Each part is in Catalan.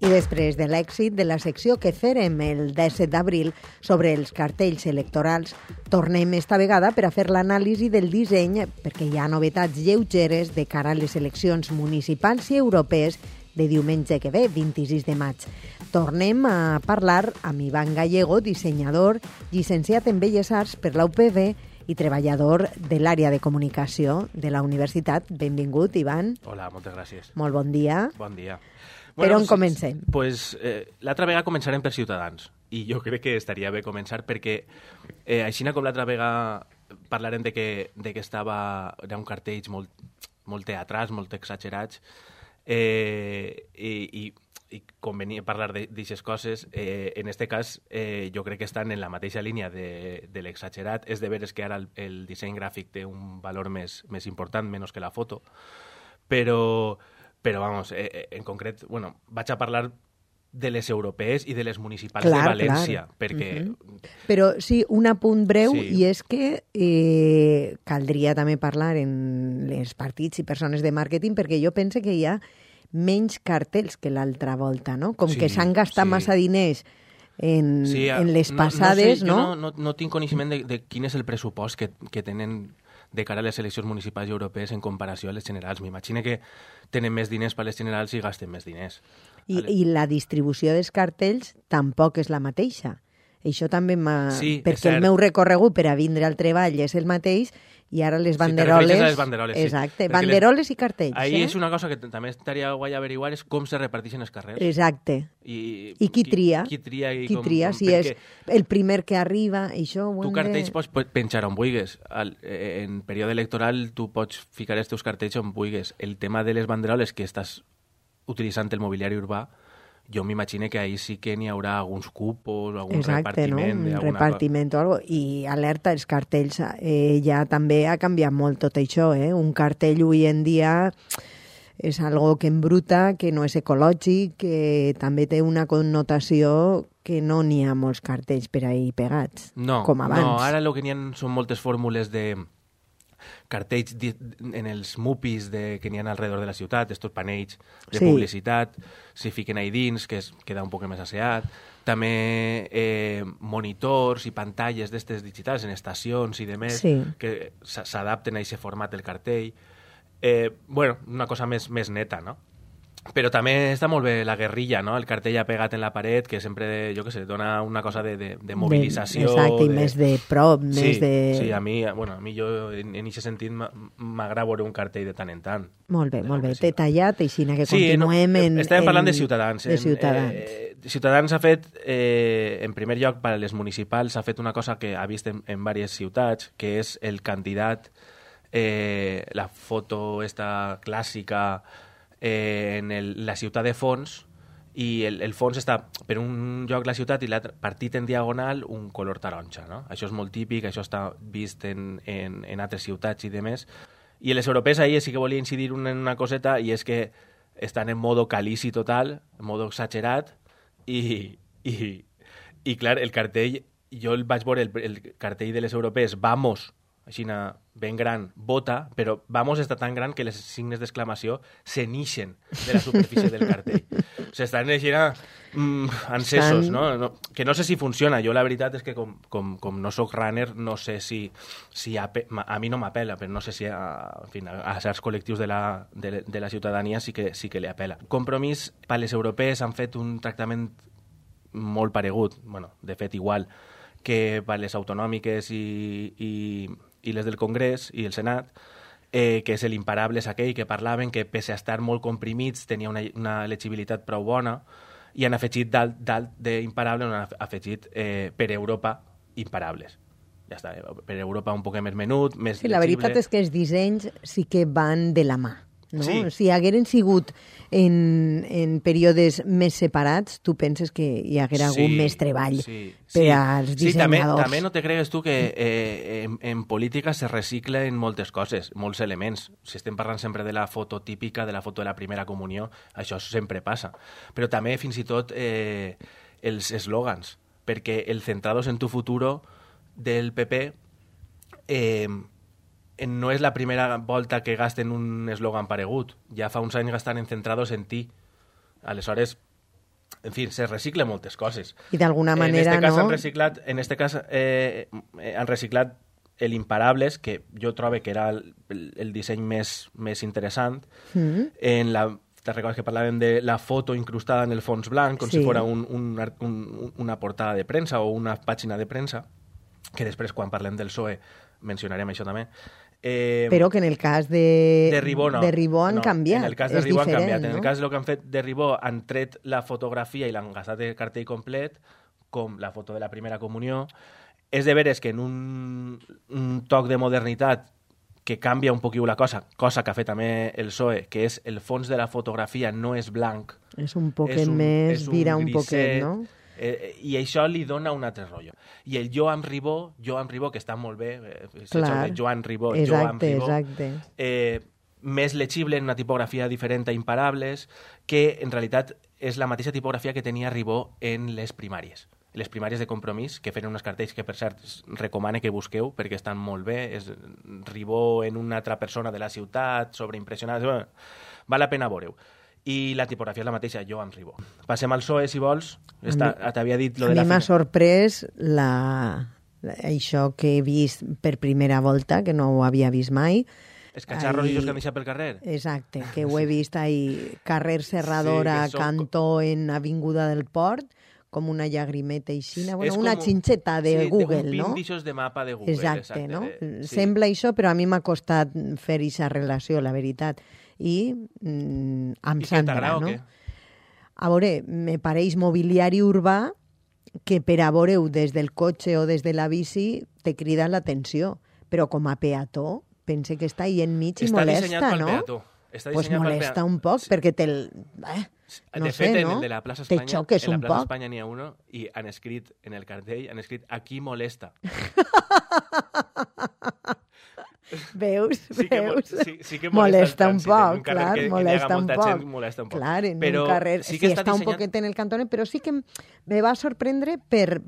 I després de l'èxit de la secció que fèrem el 17 d'abril sobre els cartells electorals, tornem esta vegada per a fer l'anàlisi del disseny perquè hi ha novetats lleugeres de cara a les eleccions municipals i europees de diumenge que ve, 26 de maig. Tornem a parlar amb Ivan Gallego, dissenyador, llicenciat en Belles Arts per la UPV i treballador de l'àrea de comunicació de la universitat. Benvingut, Ivan. Hola, moltes gràcies. Molt bon dia. Bon dia. Per on comencem? L'altra vegada començarem per Ciutadans, i jo crec que estaria bé començar perquè, així com l'altra vegada parlarem de que era un cartells molt teatrals, molt exagerats, i convenia parlar d'aixes coses. En aquest cas, jo crec que estan en la mateixa línia de l'exagerat. És de veres que ara el disseny gràfic té un valor més important, menys que la foto, però vamos, en concret, vaig a parlar de les europees i de les municipals de València, perquè... Però sí, un apunt breu, sí. I és que caldria també parlar en les partits i persones de màrqueting, perquè jo pense que hi ha menys cartells que l'altra volta, no? Com que s'han gastat massa diners en les passades, no? No tinc coneixement de quin és el pressupost que tenen de cara a les eleccions municipals i europees en comparació a les generals. M'imagino que tenen més diners per les generals i gasten més diners. I la distribució dels cartells tampoc és la mateixa. Això també perquè el meu recorregut per a vindre al treball és el mateix i ara les banderoles... Sí, te refereixes a les banderoles, sí. Exacte, banderoles i cartells. Ahí és una cosa que també estaria guai averiguar, és com se reparteixen els carrers. Exacte. I qui tria. Qui tria i qui tria, si és el primer que arriba, això... Tu cartells pots penjar on vulguis. En període electoral tu pots ficar els teus cartells on vulguis. El tema de les banderoles que estàs utilitzant el mobiliari urbà, jo m'imagino que ahí sí que n'hi haurà alguns cupos, algun repartiment. No? Un repartiment o alguna cosa. I alerta, els cartells ja també ha canviat molt tot això. Un cartell avui en dia és algo que embruta, que no és ecològic, que també té una connotació que no n'hi ha molts cartells per ahí pegats, com abans. No, ara el que n'hi ha són moltes fórmules de cartells en els mupis que n'hi ha alrededor de la ciutat, estos panells de publicitat, s'hi fiquen ahí dins, que queda un poc més asseat. També monitors i pantalles d'estes digitals en estacions i demés, que s'adapten a aquest format del cartell. Una cosa més neta, no? Però també està molt bé la guerrilla, no? El cartell apegat en la paret, que sempre, jo què sé, dona una cosa de mobilització. Exacte, i més de prop, més de... Sí, a mi jo en aquest sentit m'agrada veure un cartell de tant en tant. Molt bé. T'he tallat, així que continuem en... Estàvem parlant de Ciutadans. Ciutadans ha fet, en primer lloc, per a les municipals, ha fet una cosa que ha vist en diverses ciutats, que és el candidat, la foto esta clàssica... en la ciutat de fons, i el fons està per un lloc la ciutat i l'altre partit en diagonal un color taronja, no? Això és molt típic, això està vist en altres ciutats i demés. I les europees ahir sí que volia incidir en una coseta, i és que estan en modo calici total, en modo exagerat, i clar, el cartell, jo el vaig veure el cartell de les europees, vamos, així ben gran, vota, però vamos està tan gran que les signes d'exclamació se n'ixen de la superfície del cartell. O sigui, estan així encesos, no? Que no sé si funciona. Jo la veritat és que com no soc runner, no sé si a mi no m'apela, però no sé si a certs col·lectius de la ciutadania sí que li apela. Compromís, per les europees han fet un tractament molt paregut, de fet igual, que per les autonòmiques i les del Congrés i el Senat, que és l'Imparables aquell que parlaven, que pese a estar molt comprimits tenia una legibilitat prou bona, i han afegit dalt d'Imparables, han afegit per Europa Imparables. Ja està, per Europa un poc més menut, més legible. La veritat és que els dissenys sí que van de la mà. No? Sí. Si hagueren sigut en períodes més separats, tu penses que hi haguera hagut més treball per als dissenyadors. Sí, també no te cregues tu que en política se reciclen moltes coses, molts elements. Si estem parlant sempre de la foto típica, de la foto de la primera comunió, això sempre passa. Però també, fins i tot, els eslògans, perquè el Centrados en tu futuro del PP no és la primera volta que gasten un eslògan paregut. Ja fa uns anys gastant en Centrados en ti. Aleshores, En fi, se recicla moltes coses. I d'alguna manera, en no? En este cas han reciclat l'Imparables, que jo trobo que era el disseny més interessant. Te recordes que parlàvem de la foto incrustada en el fons blanc, com si fos una portada de premsa o una pàgina de premsa, que després, quan parlem del PSOE, mencionarem això també. Però que en el cas de Ribó no. De Ribó han canviat. En el cas de Ribó han canviat. No? En el cas del que han fet de Ribó han tret la fotografia i l'han gastat el cartell complet, com la foto de la primera comunió. És de veres que en un toc de modernitat que canvia un poquiu la cosa que ha fet també el PSOE, que és el fons de la fotografia no és blanc. És un poquet més, vira un poquet, no? I això li dona un altre rotllo. I el Joan Ribó, que està molt bé, Joan Ribó, exacte. Més legible en una tipografia diferent a Imparables, que en realitat és la mateixa tipografia que tenia Ribó en les primàries. Les primàries de Compromís, que feien uns cartells que, per cert, recomane que busqueu, perquè estan molt bé. És Ribó en una altra persona de la ciutat, sobreimpressionat. Val la pena veure-ho. I la tipografia és la mateixa, Joan Ribó. Passem al PSOE, si vols. T'havia dit lo de la... A mi m'ha sorprès això que he vist per primera volta, que no ho havia vist mai. Els catxarros i que han deixat pel carrer. Exacte, que ho he vist ahí, carrer Serradora, Cantó en Avinguda del Port, com una llagrimeta aixina, bueno, una xinxeta de Google, un no? pin d'aixòs de mapa de Google. Exacte, no? Sembla això, però a mi m'ha costat fer aquesta relació, la veritat. I amb Sandra, no? A veure, me pareix mobiliari urbà que per a veure-ho des del cotxe o des de la bici te crida l'atenció, però com a peató pense que està ahí enmig i molesta, no? Pues molesta un poc, perquè no de fet, sé, en no? el de la plaça Espanya, te xoques un poc. En la plaça Espanya n'hi ha uno i han escrit en el cartell, aquí molesta. Veus? Sí que molesta un poc, clar, molesta un poc. Clar, en un carrer, sí està un poquet en el cantone, però sí que me va sorprendre per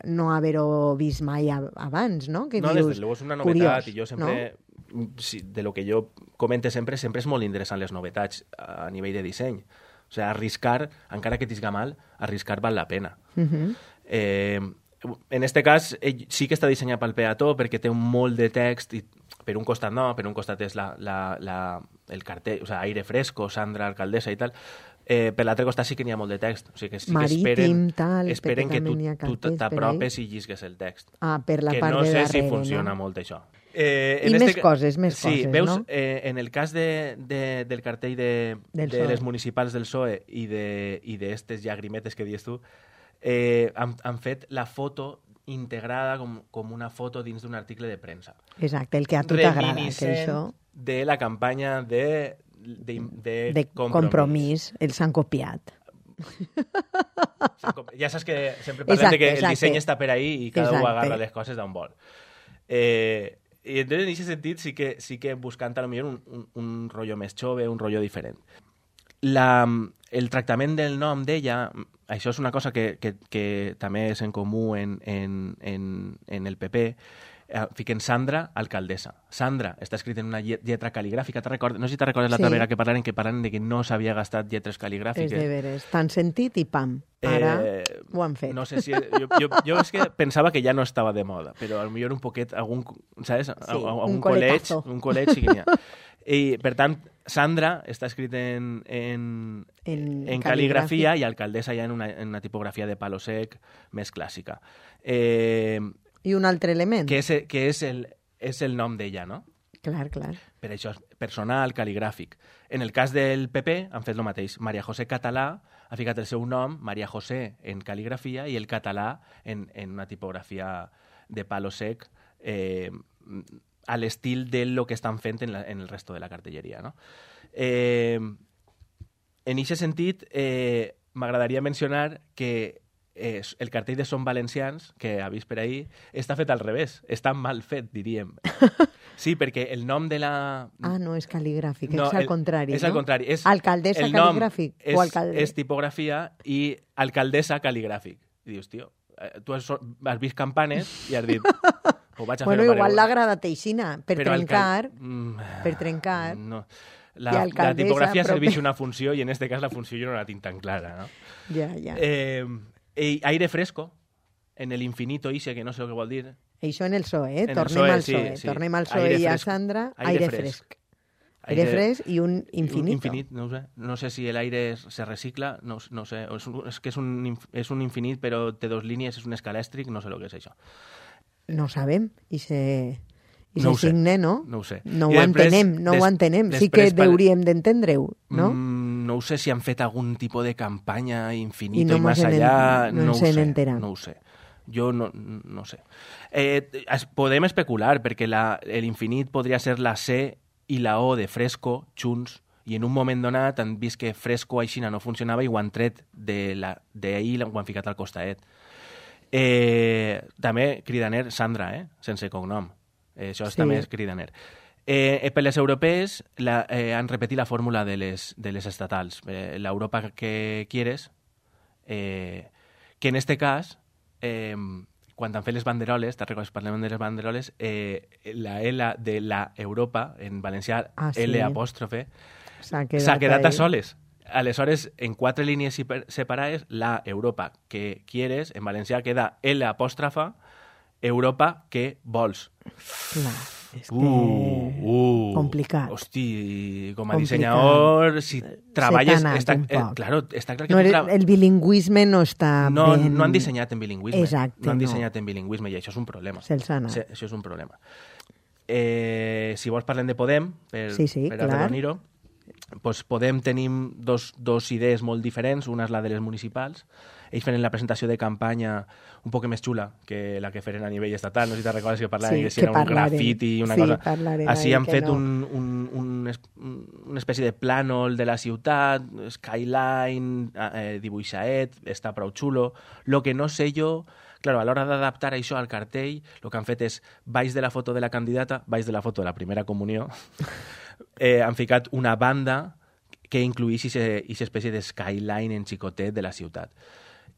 no haver-ho vist mai abans, no? Que no, dius, des de luego és una novetat, curiós, i jo sempre... No? De lo que jo comente sempre és molt interessant les novetats a nivell de disseny. O sigui, arriscar, encara que t'isga mal, arriscar val la pena. En este cas, sí que està dissenyat pel peató perquè té un molt de text, i per un costat no, per un costat és el cartell, o sigui, aire fresco, Sandra, alcaldessa i tal. Per l'altre costat sí que n'hi ha molt de text. O sigui que sí Marítim, que esperen que tu t'apropes i llisgues el text. Per la part de darrere, no? Que no sé si funciona molt això. I més coses, sí, veus, no? En el cas del cartell de les municipals del PSOE i d'estes llagrimetes que dius tu, han fet la foto integrada com una foto dins d'un article de premsa. Exacte, el que a tu t'agrada. Reminiscent de la campanya de Compromís. Els han copiat. Ja saps que sempre parlem que el disseny està per ahí i cada un agarra les coses d'on vol. I entonces, en aquest sentit, sí que buscant a lo millor un rotllo més jove, un rotllo diferent. El tractament del nom d'ella, això és una cosa que també és en comú en el PP, fiquen Sandra, alcaldessa. Sandra està escrit en una lletra cal·ligràfica. No sé si te recordes l'altra vegada que parlen de que no s'havia gastat lletres cal·ligràfiques. És de veres. Tan sentit i pam. Ara ho han fet. No sé si... Jo és que pensava que ja no estava de moda, però potser un poquet, ¿sabes? Sí, un col·legi sí que n'hi ha. I, per tant, Sandra està escrit en cal·ligrafia i alcaldessa ja en una tipografia de palo sec més clàssica. I un altre element. Que és el nom d'ella, no? Clar. Per això és personal, cal·ligràfic. En el cas del PP han fet el mateix. Maria José Català ha ficat el seu nom, Maria José, en cal·ligrafia i el català en una tipografia de palo sec a l'estil de lo que estan fent en el resto de la cartelleria, no? En aquest sentit, m'agradaria mencionar que el cartell de Som Valencians, que ha vist per ahí, està fet al revés. Està mal fet, diríem. Sí, perquè el nom de la... no és cal·ligràfic, és al contrari. És al contrari. Alcaldessa cal·ligràfic. És tipografia i alcaldessa cal·ligràfic. I dius, tio, tu has vist Campanes i has dit... Igual l'ha agradat Teixina, per trencar. No. la tipografia serveix una funció i en este cas la funció jo no la tinc tan clara, no? Ja. Aire fresco, en el infinito ixe, que no sé el que vol dir. Això en el PSOE, tornem al PSOE. Sí. Tornem al PSOE i a Sandra, aire fresc. Aire fresc i un infinito. Un infinit, no ho sé. No sé si el aire se recicla, no sé. És que és un infinit, però té dos línies, és un escalèstric, no sé el que és això. No sabem, i se No ho sé. signe, no? No ho sé. No I ho després- entenem, no ho entenem. Sí que després hauríem d'entendre-ho, no? No ho sé si han fet algun tipus de campanya infinito I no i mos més en- allà. no No ho ens en sé. enteram. No ho sé. Jo no sé. Podem especular, perquè l'infinit podria ser la C i la O de fresco, junts, i en un moment donat han vist que fresco així no funcionava i ho han tret d'ahir i ho han ficat al costaet. També cridaner Sandra, sense cognom. Això Sí. també és cridaner. Per les europees han repetit la fórmula de les estatals. L'Europa que quieres, que en este cas, quan han fet les banderoles, te'n recordes, parlem de les banderoles, la L de la Europa, en valencià, Ah, sí. L apòstrofe, S'ha s'ha quedat ahí. a soles. Aleshores, en 4 línies separades, la Europa que quieres, en valencià queda L apòstrofa, Europa que vols. Clar, és que... complicat. Hosti, com a Complicat. dissenyador, si treballes... t'ha anat un poc. Claro, està clar que No, tu el bilingüisme no està ben... no han dissenyat en bilingüisme. Exacte, no han no. dissenyat en bilingüisme i això és un problema. Se'ls ha anat. Sí, això és un problema. Si vols parlem de Podem, per clar. arrodonir-ho, doncs Podem tenim dos idees molt diferents. Una és la de les municipals. Ells feren la presentació de campanya un poc més xula que la que feren a nivell estatal. No sé si te'n recordes que parlaven que si era un grafiti i una cosa. Així han fet una espècie de plànol de la ciutat, skyline, dibuixaet, està prou xulo. Lo que no sé jo... Claro, a l'hora d'adaptar això al cartell, el que han fet és, baix de la foto de la candidata, baix de la foto de la primera comunió, han ficat una banda que incluïs aquesta espècie de skyline en xicotet de la ciutat.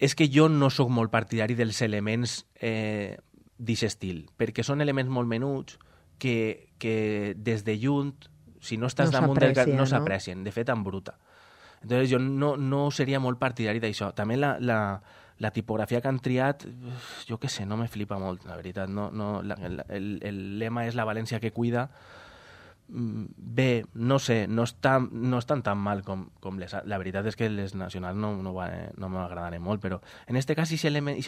És que jo no sóc molt partidari dels elements d'aquest estil, perquè són elements molt menuts que des de lluny, si no estàs damunt del cartell, no s'aprecien, de fet, en bruta. Entonces, jo no seria molt partidari d'això. També la tipografia que han triat, jo què sé, no me flipa molt, la veritat. El lema és la València que cuida. Bé, no sé, no estan tan mal com les... La veritat és que les nacionals no m'agradaran molt, però en aquest cas aquests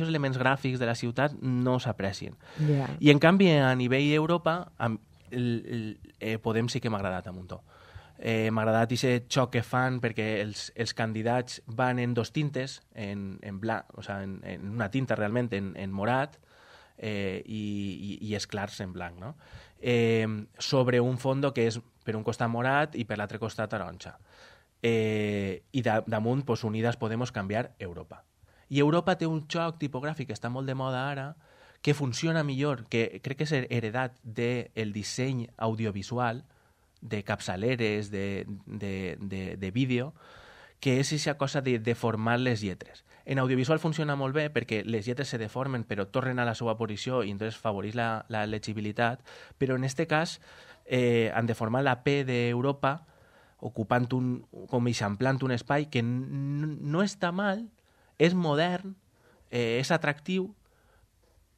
elements gràfics de la ciutat no s'aprecien. Yeah. I en canvi, a nivell d'Europa, Podem sí que m'ha agradat a muntó. M'ha agradat aquest xoc que fan perquè els candidats van en dos tintes, en blanc, o sigui, en una tinta realment, en morat, i els clars en blanc, no? Sobre un fondo que és per un costat morat i per l'altre costat taronja. I damunt, pues, Unidas Podemos canviar Europa. I Europa té un xoc tipogràfic que està molt de moda ara, que funciona millor, que crec que és heredat del disseny audiovisual, de capçaleres, de vídeo, que és aquesta cosa de deformar les lletres. En audiovisual funciona molt bé perquè les lletres se deformen però tornen a la seva posició i entonces favoreix la legibilitat, però en aquest cas han deformat la P d'Europa ocupant com eixamplant un espai que no està mal, és modern, és atractiu,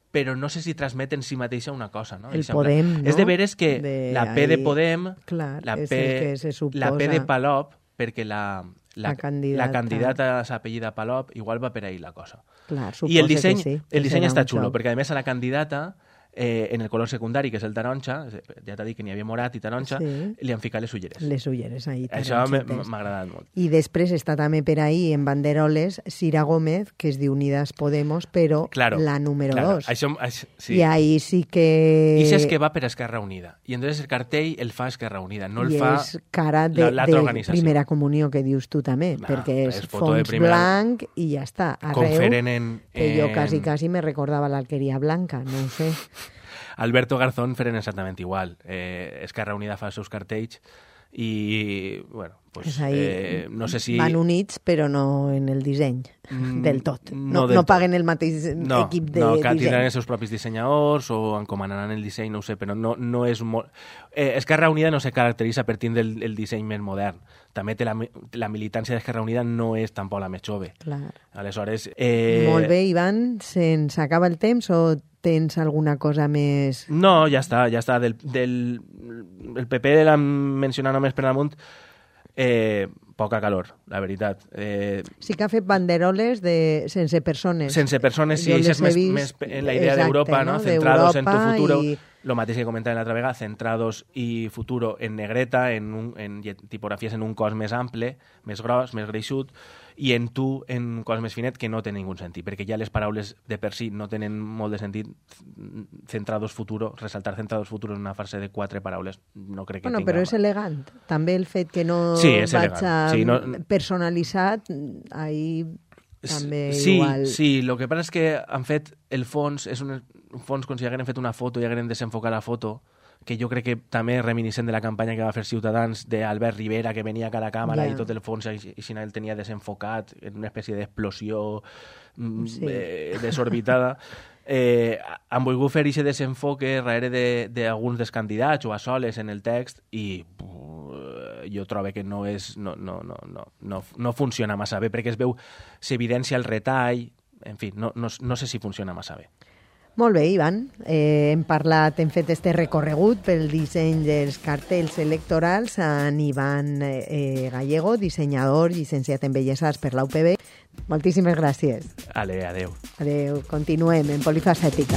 però no sé si transmet en si mateixa una cosa, no? El Podem, no? És de veres que la P de Podem, clar, la és el que se suposa. la P de Palop, perquè la candidata s'apellida Palop, igual va per ahí la cosa. Clar, I el disseny, que sí, el disseny està un xulo, xoc. perquè a més a la candidata, en el color secundari, que és el taronja, ja t'ha dit que n'hi havia morat i taronja, Sí. li han ficat les ulleres. Les ulleres ahí. Això taronxites. m'ha agradat molt. I després està també per ahí en banderoles Cira Gómez, que es diu Unidas Podemos, però la número 2. Això, sí. I ahí sí que... I és que va per Esquerra Unida. I entonces el cartell el fa Esquerra Unida, no el I fa és cara de primera comunió que dius tu també, perquè és fons blanc i ja està. Arreu, que jo quasi me recordava l'Alqueria Blanca, no ho sé. Alberto Garzón feren exactament igual. Esquerra Unida fa els seus cartells i, bueno, pues, ahí, no sé si... Van units, però no en el disseny del tot. No paguen el mateix equip de disseny. No, que disseny. tindran els seus propis dissenyadors o encomanaran el disseny, no ho sé, però no és molt... Esquerra Unida no se caracteritza per tindre el disseny més modern. També té la militància d'Esquerra Unida no és tampoc la més jove. Clar. Aleshores... Molt bé, Ivan, se'ns acaba el temps o tens alguna cosa més? No, ja està. El PP l'han mencionat només per damunt, poca calor, la veritat. Sí que ha fet banderoles sense persones. Sense persones, sí, això és més en la idea d'Europa, ¿no? Centrados en tu futuro. Lo mateix que comentàvem l'altra vegada, centrados i futuro en negreta, en tipografies en un cos més ample, més gros, més greixut, i en tu en un cos més finet, que no té ningú sentit, perquè ja les paraules de per si no tenen molt de sentit. Centrados futuro, resaltar centrados futuro en una frase de 4 paraules, no crec que tinga... Però és elegant. També el fet que no personalitzat, ahí també igual... Sí, el que passa és que han fet el fons, és un fons com si hagueren fet una foto i hagueren desenfocat la foto, que jo crec que també és reminiscent de la campanya que va fer Ciutadans d'Albert Rivera, que venia a cada càmera i tot el fons i el tenia desenfocat en una espècie d'explosió desorbitada. Han volgut fer aquest desenfoque darrere d'alguns dels candidats o a soles en el text i jo trobo que no funciona massa bé, perquè es veu, s'evidencia el retall, en fi, no sé si funciona massa bé. Molt bé, Ivan. Hem fet este recorregut pel disseny dels cartells electorals en Ivan Gallego, dissenyador, llicenciat en Belles Arts per la UPB. Moltíssimes gràcies. Adéu. Adéu. Continuem en Polifacètica.